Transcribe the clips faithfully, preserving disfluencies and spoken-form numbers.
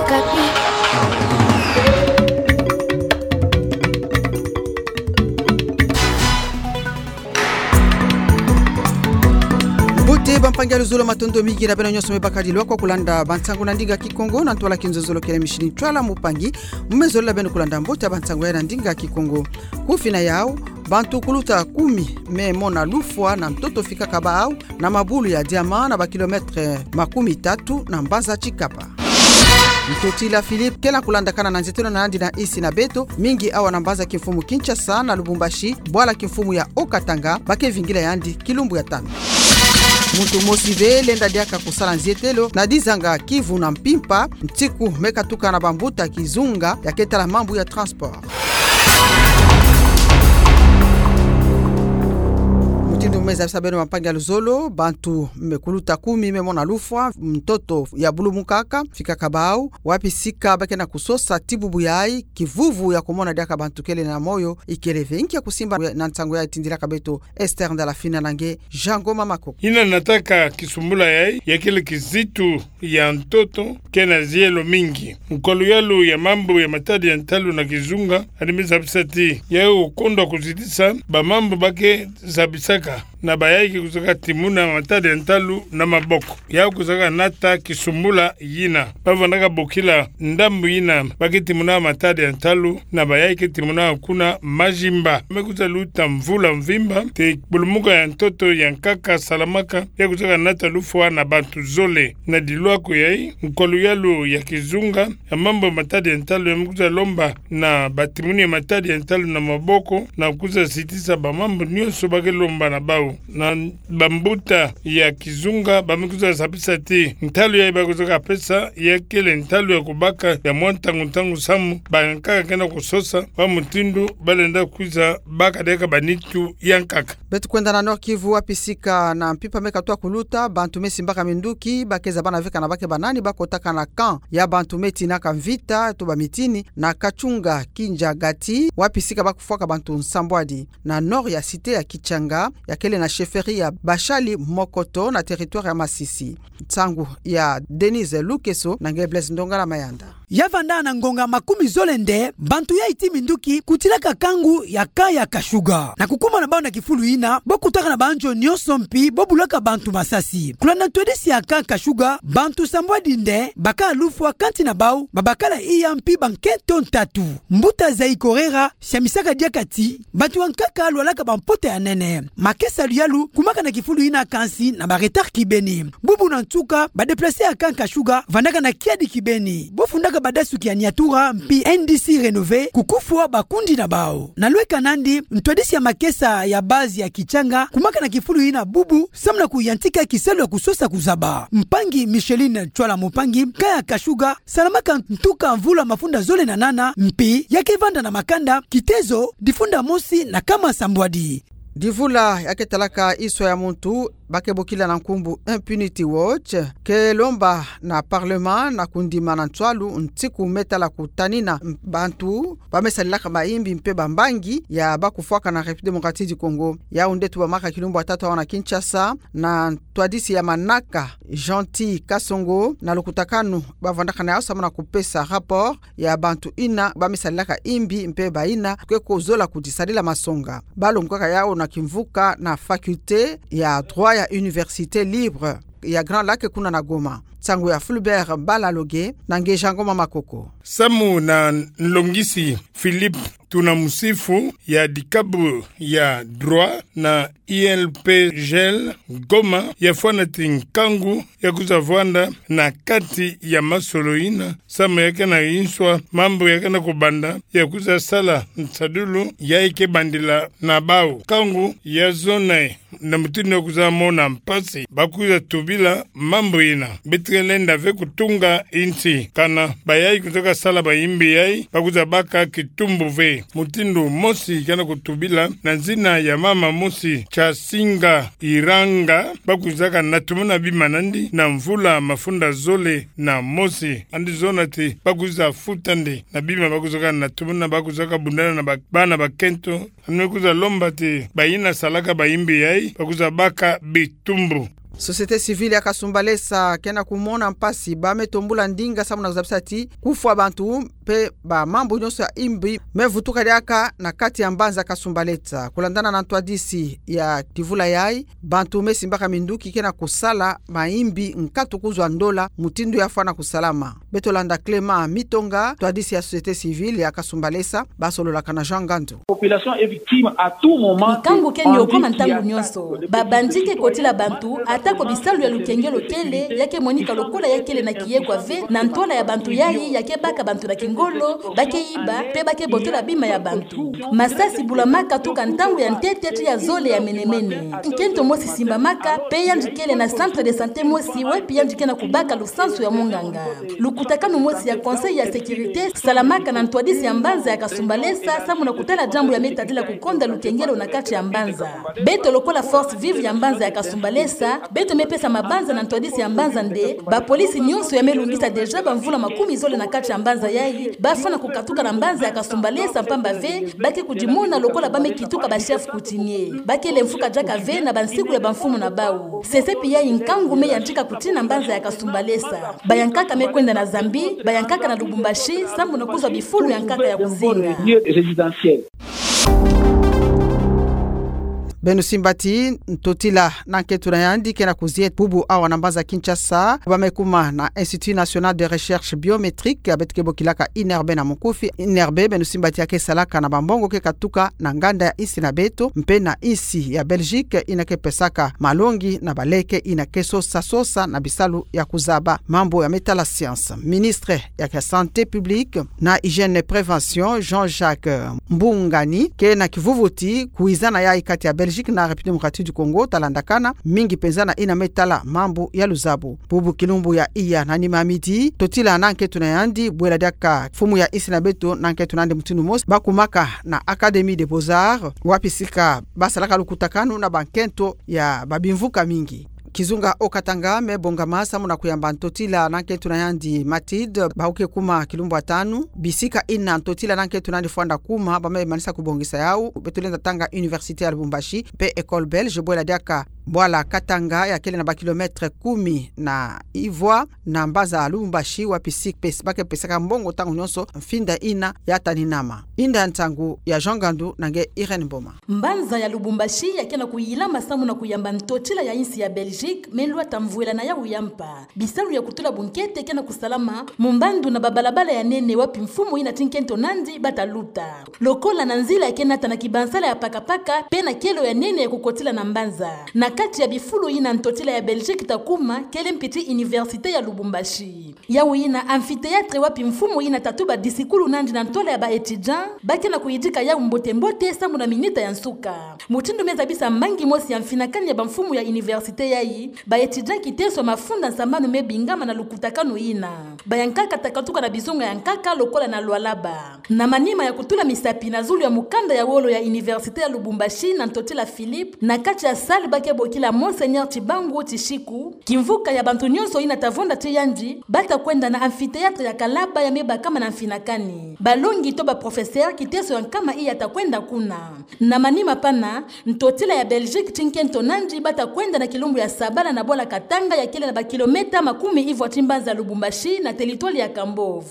Okapi. Mbote bampangi ya luzolo, matondo mingi na beno nyonso me bakadi lwaka kulanda bansangu na ndinga Kikongo na ntwala kinzonzolo kele mishini Ntwala Mupangi. Mu me zolila beno kulanda mbote ya bansangu ya na ndinga Kikongo. Kufina yau, bantu kuluta kumi me mona lufwa na ntoto fikaka bawu na mabulu ya diamant na ba kilomètre makumi tatu na mbanza Tshikapa. Ntotila Philippe kele kulandakana na nzietelo na yandi na insi na beto, mingi awa na mbanza kimfumu Kinshasa na Lubumbashi, bwala kimfumu ya Haut-Katanga, ba ke vingila yandi kilumbu ya tanu. Muntu mosi ve lenda diaka kusala nzietelo na dizanga Kivu na mpimpa, nsiku me katuka na bambuta kizunga ya ke tala mambu ya transport. Mutindu me zabisa beno bampangi ya luzolo, bantu me kuluta kumi me mona lufwa, ntoto ya bulumukaka, fikaka bawu, wapi sika ba ke na kusosa ti bubu yayi, kivuvu ya kumona diaka bantu kele na moyo ikele ve. Inki ya kusimba na nsangu yayi, tindilaka beto Esther Ndalafina na nge Jean Ngoma Makoko. Yina nataka kisumbula yayi, ya kele kizitu ya ntoto ke na zielo mingi. Nkwa luyalu ya mambu ya matadi ya ntalu na kizunga, yandi me zabisa ti yayi okondwa kuzitisa bamambu ba ke zabisaka na bayayi ke kuzaka timuna matadi ya ntalu na maboko. Yayi kuzaka nata kisumbula yina. Ba vandaka bokila ndambu yina ba ke timuna matadi ya ntalu na bayayi ke timuna kuna Madjimba. Me kuza luta mvula mvimba, te bulumuka ya ntoto ya nkaka salamaka, ya kuzaka nata lufwa na bantu zole. Na dilwako yayi, nkwa luyalu ya kizunga ya mambu matadi ya ntalu ya me kuza lomba na batimuni ya matadi ya ntalu na maboko, na kuza sitisa bamambu nyonso ba ke lomba na bawu. Na bambuta ya kizunga ba me kuza zabisa ti ntalu yayi ba kuzaka pesa, ya kele ntalu ya kubaka ya mwa ntangu ntangu samu bankaka ke na kusosa, wa mutindu ba lenda kwiza baka diaka banitu ya nkaka. Beto kwenda na Nord-Kivu, wapi sika na mpimpa me katwa kuluta, bantu me simbaka minduki, ba ke zabana ve kana ba ke banani, ba kotaka na camp ya bantu me tinaka mvita, to bamitini, na Katshunga Kindzagati, wapi sika ba kufwaka bantu nsambwadi, na nord ya cité ya Kitshanga, ya kele na chefferie ya Bashali Mokoto na territoire ya Masisi. Nsangu ya Denise Lukeso na nge Blaise Ndongala Mayanda. Ya vanda na ngonga makumi zole nde, bantu yayi ti minduki kutilaka kangu ya camp ya Kashuga. Na kukuma na bawu na kifulu yina, bo kutaka na banjo nyonso mpi bo bulaka bantu masasi. Kulanda ntwadisi ya camp Kashuga, bantu sambwadi nde baka lufwa, kanti na bawu babakala iya mpi bankento ntatu. Mbuta Zaikorera siamisaka diaka ti bantu ya nkaka lwalaka bampota ya nene. Makesa luyalu kumaka na kifulu yina, kansi na ba retard kibeni. Bubu na nsuka, ba déplacés ya camp Kashuga vandaka na kiadi kibeni. Bo fundaka badasuki ya Niatura mpi N D C Rénové kukufwa bakundi na bawu. Na lweka nandi, ntwadisi ya makesa ya base ya Kitshanga kumaka na kifulu yina bubu samu na kuyantika kisalu ya kusosa kuzaba. Mpangi Micheline Ntshwala Mupangi, camp ya Kashuga salamaka ntuka mvula mafunda zole na nana, mpi ya ke vanda na makanda, kitezo, difunda mosi na kama sambwadi. Divula ya ke talaka iswa ya muntu ba ke bokila na nkumbu Impunity Watch ke lomba na parlement na kundima na nswalu nsiku me tala kutanina bantu ba me salilaka bayimbi mpe bambangi ya ba kufwaka na République Démocratique du Congo. Yau nde tubamaka kilumbu ya tatu awa na Kinshasa, na ntwadisi ya manaka Gentil Kasongo na lukutakanu ba vandaka na yau samu na kupesa rapport ya bantu yina ba me salilaka yimbi mpe bayina ke kozola kudisadila masonga. Ba longukaka yau na kimvuka na faculté ya droit ya Université libre ya Grand Lac kuna na Goma. Nsangu ya Fulbert Balaloge na nge Jean Ngoma Makoko. Samu na nlongisi Philippe Tunamusifu ya dikabu ya droit na I L P G L Goma, ya fwana ti nkangu ya kwiza vwanda na kati ya masolo yina, samu ya ke na yinswa mambu ya ke na kubanda, ya kwiza sala nsadulu ya ke bandila na bau. Nkangu ya zona e, na mutindu ya kwiza mona mpasi, ba kwiza tubila mambu yina. Beto ke lenda ve kutunga insi, kana bayayi kwiza ka sala bayimbi yayi, ba kwiza baka kitumbu ve. Mutindu mosi ke na kutubila na zina ya mama mosi, Chasinga Iranga, ba kwiza ka natumuna bima nandi na mvula mafunda zole na mosi. Yandi zona ti ba kwiza futa nde na bima ba kwiza ka natumuna, ba kwiza ka bundana na ba-, bana bakento. Yandi kwiza lomba ti bayina salaka bayimbi yayi, ba kwiza baka bitumbu. Société civile ya Kasumbalesa ke na kumona mpasi ba me tombula ndinga samu na kuzabisa ti kufwa bantu mpe ba mambu nyonso ya imbi me vutuka diaka na kati ya mbanza Kasumbalesa. Kulandana na ntwadisi ya kivula yayi, bantu me simbaka minduki ke na kusala maimbi nkatu kuzwa ndola mutindu ya fwana kusalama. Beto landa Clément Mitonga, ntwadisi ya société civile ya Kasumbalesa, ba sololaka na Jean Ngandu. Population est victime à tout moment. Nkangu ke nyoko ma ntangu nyonso. Ba bandits ke kotila bantu, ata ko bisalu ya lukengelo kele, ya ke monika lokola ya kele na kiye kwa ve, na ntwala ya bantu yayi, ya ke baka bantu na kingolo, ba ke iba, mpe ba ke botola bima ya bantu. Masasi bulamaka tuka ntangu ya ntete tii ya zole ya menemene. Nkento mosi simbamaka, mpe yandi kele na centre de santé mosi, wapi yandi ke na kubaka lusansu ya monganga. Lukutakanu mosi ya Conseil ya sécurité salamaka na ntwadisi ya mbanza ya Kasumbalesa, samu na kutala diambu ya me tadila kukonda lukengelo na kati ya mbanza. Beto lokola force vive ya mbanza ya Kasumbalesa, beto me pesa mabanza na ntwadisi ya mbanza nde, ba polisi nyonso ya me lungisa déjà ba mvula makumi zole na kati ya mbanza yayi, ba fwana kukatuka na mbanza ya Kasumbalesa mpamba ve, ba ke kudimona lokola ba me kituka ba chef coutumier. Ba kele mfuka diaka ve na ba nsiku ya ba mfumu na bawu. Sesepi yayi nkangu me yantika kutina mbanza ya Kasumbalesa. Bayankaka me kwenda na Zambie, bayankaka na Lubumbashi, samu na kuzwa bifulu ya nkaka ya kuzinga. Lieu résidentiel. Beno simba ti ntotila na nkento na yandi ke na kuzieta bubu awa na mbanza Kinshasa, ba me kuma na Institut National de Recherche Biométrique, beto ke bokilaka INRB na mukufi. INRB, beno simba ti ya ke salaka na ba mbongo ke katuka na nganda ya insi na beto, mpe na insi ya Belgique, yina ke pesaka malongi na baleke yina ke sosa sosa na bisalu ya kuzaba mambu ya me tala science. Ministre ya ke santé publique na hygiène et prévention, Jean-Jacques Mbungani, ke na kivuvu ti kwizana yayi kati ya Belgique na République démocratique du Congo, talandakana mingi penza na yina me tala mambu ya luzabu. Bubu kilumbu ya iya na nima midi, ntotila na nkento na yandi, bwela diaka mfumu ya insi na beto na nkento na yandi mutindu mosi, ba kumaka na Académie des Beaux-Arts, wapi sika ba salaka lukutakanu na ba nkento ya ba bimvuka mingi. Kizunga Haut-Katanga me bongama samu na kuyamba ntotila na nkento na yandi Mathilde, bawu ke kuma kilumbu ya tanu. Bisika yina ntotila na nkento na yandi fwanda kuma, ba me manisa kubongisa yawu, beto lenda tanga Université ya Lubumbashi, mpe École Belge, bwela diaka bwala Katanga ya kele na ba kilomètre kumi na ivwa na mbanza Lubumbashi, wapi sika pes-, ba ke pesaka mbongo ntangu nyonso mfinda yina ya taninama. Inda nsangu ya Jean Ngandu na nge Irène Mboma. Mbanza ya Lubumbashi ya ke na kuyilama samu na kuyamba ntotila ya insi ya Belgique, me lwata mvwela na yawu ya mpa. Bisalu ya kutula bunkete ke na kusalama mu mbandu na ba balabala ya nene wapi mfumu yina ti nkento na yandi ba ta luta. Lokola na nzila ya ke nata na kibansala ya pakapaka, mpe na kielo ya nene ya kukotila na mbanza. Na kati ya bifulu yina ntotila ya Belgique ta kuma, kele mpi ti Université ya Lubumbashi. Yawu yina amphithéâtre wapi mfumu yina ta tuba disikulu na yandi na ntwala ya ba étudiants, ba ke na kuyidika yawu mbote-mbote samu na minita ya nsuka. Mutindu me zabisa mangi mosi ya mfinakani ya ba mfumu ya université yayi, ba étudiants kiteso mafunda nsambanu me bingama na lukutakanu yina. Bayankaka ta katuka na bizunga ya nkaka lokola na Lualaba. Na manima ya kutula misapi na zulu ya mukanda ya wolo ya Université ya Lubumbashi na ntotila Philippe, na kati ya salle ba ke bokila Monseigneur Tshibangu Tshishiku, kimvuka ya bantu nyonso yina ta vonda ti yandi, ba ta kwenda na amphithéâtre ya Kalaba ya me bakama na mfinakani. Balongi to ba professeurs kiteso ya nkama iya ta kwenda kuna. Na manima pana, ntotila ya Belgique ti nkento na yandi ba ta kwenda na kilumbu ya sabala na bwala Katanga ya kele na ba kilomètre makumi ivwa ti mbanza Lubumbashi na territoire ya Kambove.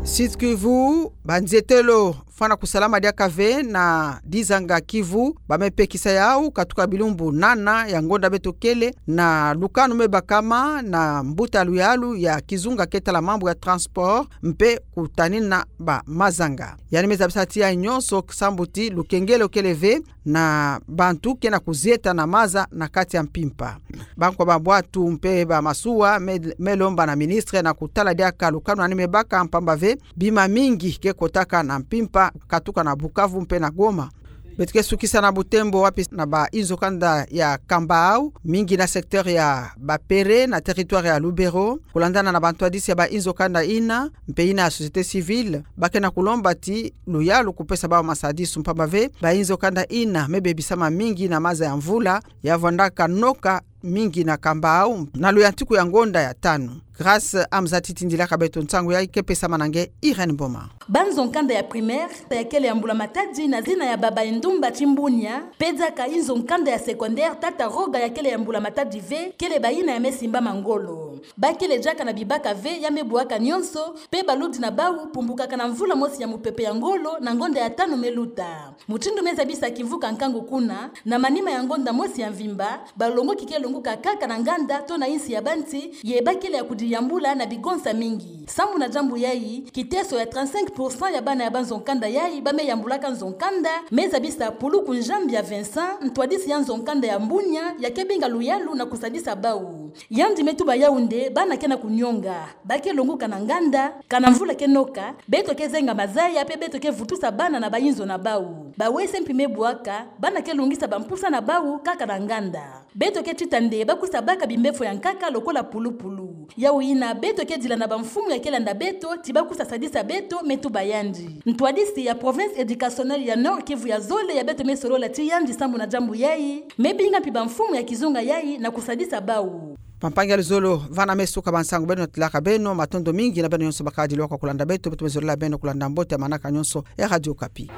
Sud-Kivu, ba nzietelo fwana kusalama diaka ve na dizanga Kivu, ba me pekisa yawu katuka bilumbu nana ya ngonda beto kele, na lukanu me bakama na mbuta luyalu ya kizunga ke tala mambu ya transport, mpe kutanina ba mazanga. Yandi me zabisa ti yayi nyonso sambu ti lukengelo kele ve na bantu ke na kuzieta na maza na kati ya mpimpa. Bankwa ba bwatu mpe ba masuwa me, me lomba na ministre na kutala diaka lukanu yandi me baka mpamba ve bima mingi ke kotaka na mpimpa katuka na Bukavu mpe na Goma. Beto ke sukisa na butembo wapi na ba inzo kanda ya Kambau, mingi na secteur ya Bapere na territoire ya Lubero, kulandana na bantwadisi ya ba inzo kanda yina, mpe yina ya société civile, ba ke na kulomba ti luyalu kupesa bawu masadisu mpamba ve ba inzo kanda yina me bebisama mingi na maza ya mvula ya vwandaka noka mingi na Kambau na luyantiku ya ngonda ya tanu. Grâce Amzati tindilaka beto nsangu yayi, ke pesamana nge Irène Mboma. Banzo nkanda ya primaire ya kele ya mbula matadi na zina ya Baba Endumba Timbunia, pe diaka inzo nkanda ya secondaire Tata Roga ya kele ya mbula matadi ve, kele bayina ya me simbama ngolo. Ba kele diaka na bibaka ve ya me bwaka nyonso, pe baludi na bawu pumbukaka na mvula mosi ya mupepe ya ngolo na ngonda ya tanu me luta. Mutindu me zabisa kivuka nkangu kuna, na manima ya ngonda mosi ya mvimba, balongoki ke longuka kaka na nganda to na insi ya banti, ye ba kele ya kudiyambula na bigonsa mingi. Sambu na diambu yayi, kiteso ya trente-cinq pour cent ya bana ya banzo nkanda yayi ba me yambulaka nzo nkanda, me zabisa Puluku Njambia Vincent, ntwadisi ya nzo nkanda ya Mbunia, ya ke binga luyalu na kusadisa bawu. Yandi me tuba yawu nde bana ke na kunionga, ba ke longuka na nganda, kana mvula ke noka, beto ke zenga mazaya pe beto ke vutusa bana na bayinzo na bawu. Bawu ese mpi me bwaka, bana ke lungisa bampusa na bawu kaka na nganda. Beto ke tita nde ba kusa baka bimbefo ya nkaka lokola pulupulu. Yawu yina beto ke dila na bamfumu ya ke landa beto, ti ba kusa sadisa beto, me tuba yandi. Ntwadisi ya Province Educationnelle ya Nord-Kivu ya zole ya beto me solola ti yandi sambu na diambu yayi, me binga mpi bamfumu ya kizunga yayi na kusadisa bawu. Bampangi ya luzolo, vana me suka ba nsangu beno na tilaka beno, matondo mingi na beno nyonso bakadi lwa kwa kulanda beto, beto me zolele beno kulanda mbote ya manaka nyonso ya Radio Okapi.